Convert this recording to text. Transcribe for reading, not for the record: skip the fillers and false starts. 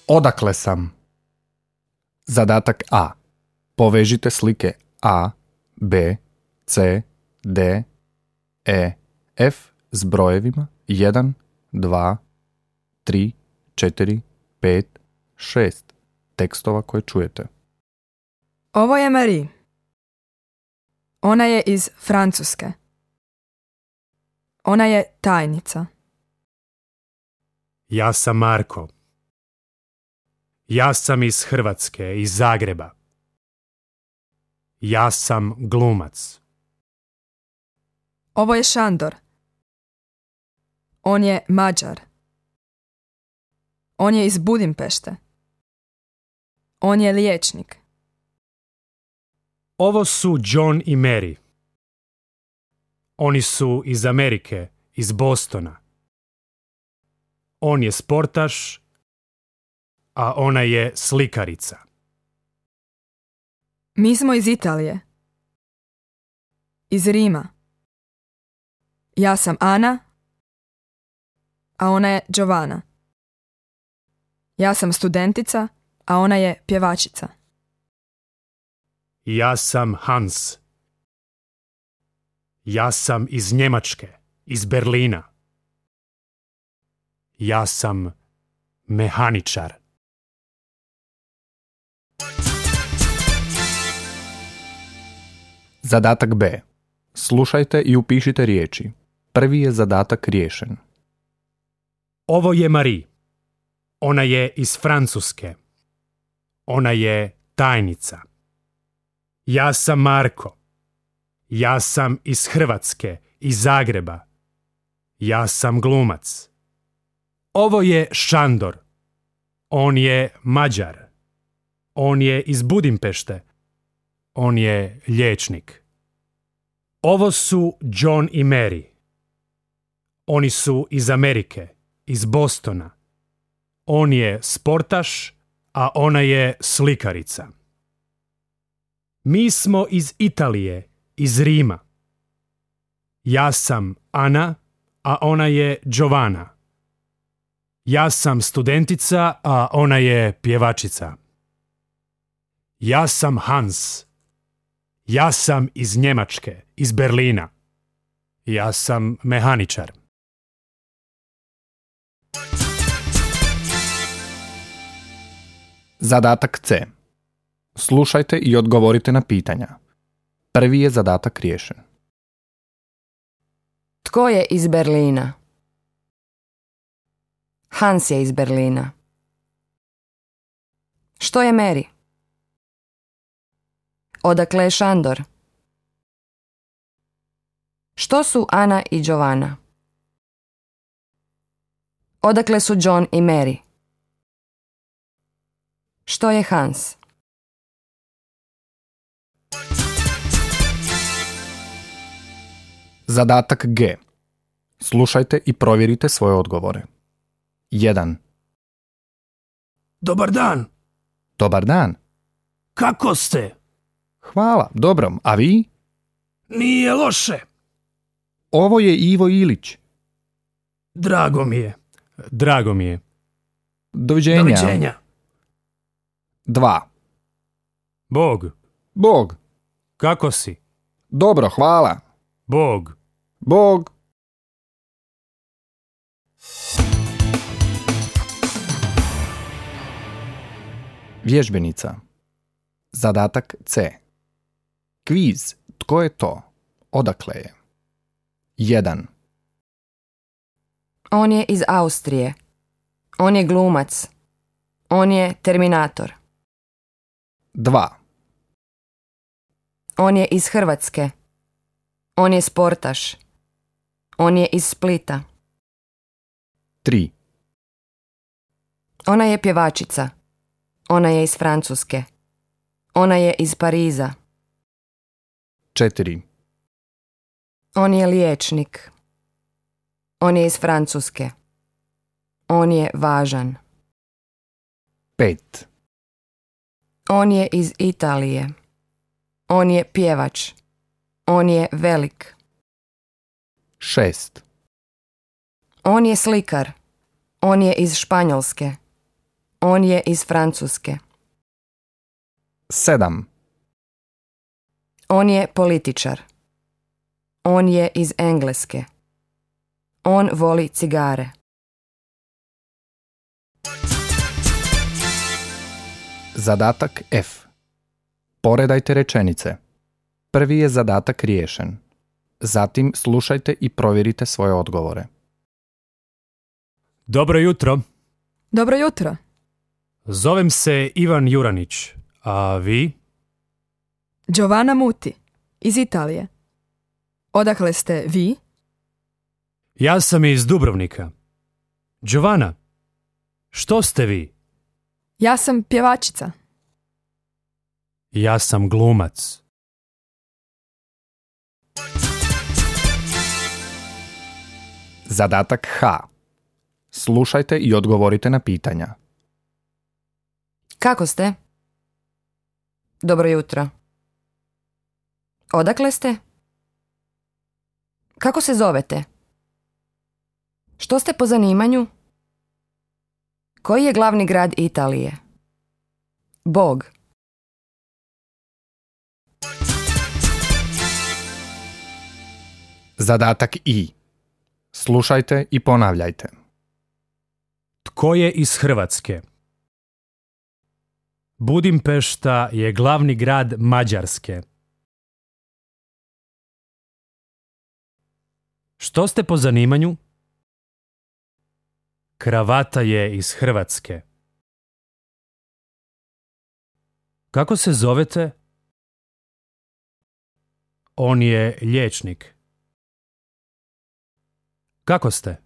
Odakle sam? Zadatak A. Povežite slike A, B, C, D, E, F s brojevima 1, 2, 3, 4, 5, 6 tekstova koje čujete. Ovo je Marie. Ona je iz Francuske. Ona je tajnica. Ja sam Marko. Ja sam iz Hrvatske, iz Zagreba. Ja sam glumac. Ovo je Šandor. On je Mađar. On je iz Budimpešte. On je liječnik. Ovo su John i Mary. Oni su iz Amerike, iz Bostona. On je sportaš, a ona je slikarica. Mi smo iz Italije. Iz Rima. Ja sam Ana, a ona je Giovanna. Ja sam studentica, a ona je pjevačica. Ja sam Hans. Ja sam iz Njemačke, iz Berlina. Ja sam mehaničar. Zadatak B. Slušajte i upišite riječi. Prvi je zadatak riješen. Ovo je Marie. Ona je iz Francuske. Ona je tajnica. Ja sam Marko. Ja sam iz Hrvatske, iz Zagreba. Ja sam glumac. Ovo je Šandor. On je Mađar. On je iz Budimpešte. On je liječnik. Ovo su John i Mary. Oni su iz Amerike, iz Bostona. On je sportaš, a ona je slikarica. Mi smo iz Italije, iz Rima. Ja sam Ana, a ona je Giovanna. Ja sam studentica, a ona je pjevačica. Ja sam Hans. Ja sam iz Njemačke, iz Berlina. Ja sam mehaničar. Zadatak C. Slušajte i odgovorite na pitanja. Prvi je zadatak riješen. Tko je iz Berlina? Hans je iz Berlina. Što je Mary? Odakle je Šandor? Što su Ana i Giovanna? Odakle su John i Mary? Što je Hans? Zadatak G. Slušajte i provjerite svoje odgovore. 1. Dobar dan. Dobar dan. Kako ste? Hvala, dobro. A vi? Nije loše. Ovo je Ivo Ilić. Drago mi je. Drago mi je. Doviđenja. Doviđenja. 2. Bog. Bog. Kako si? Dobro, hvala. Bog. Bog. Vježbenica. Zadatak C. Kviz. Tko je to? Odakle je? 1. On je iz Austrije. On je glumac. On je Terminator. 2. On je iz Hrvatske. On je sportaš. On je iz Splita. 3. Ona je pjevačica. Ona je iz Francuske. Ona je iz Pariza. 4. On je liječnik. On je iz Francuske. On je važan. 5. On je iz Italije. On je pjevač. On je velik. 6. On je slikar. On je iz Španjolske. On je iz Francuske. 7. On je političar. On je iz Engleske. On voli cigare. Zadatak F. Poredajte rečenice. Prvi je zadatak riješen. Zatim slušajte i provjerite svoje odgovore. Dobro jutro. Dobro jutro. Zovem se Ivan Juranić. A vi? Giovanna Muti, iz Italije. Odakle ste vi? Ja sam iz Dubrovnika. Giovanna, što ste vi? Ja sam pjevačica. Ja sam glumac. Zadatak H. Slušajte i odgovorite na pitanja. Kako ste? Dobro jutro. Odakle ste? Kako se zovete? Što ste po zanimanju? Koji je glavni grad Italije? Bog. Zadatak I. Slušajte i ponavljajte. Tko je iz Hrvatske? Budimpešta je glavni grad Mađarske. Što ste po zanimanju? Kravata je iz Hrvatske. Kako se zovete? On je liječnik. Kako ste?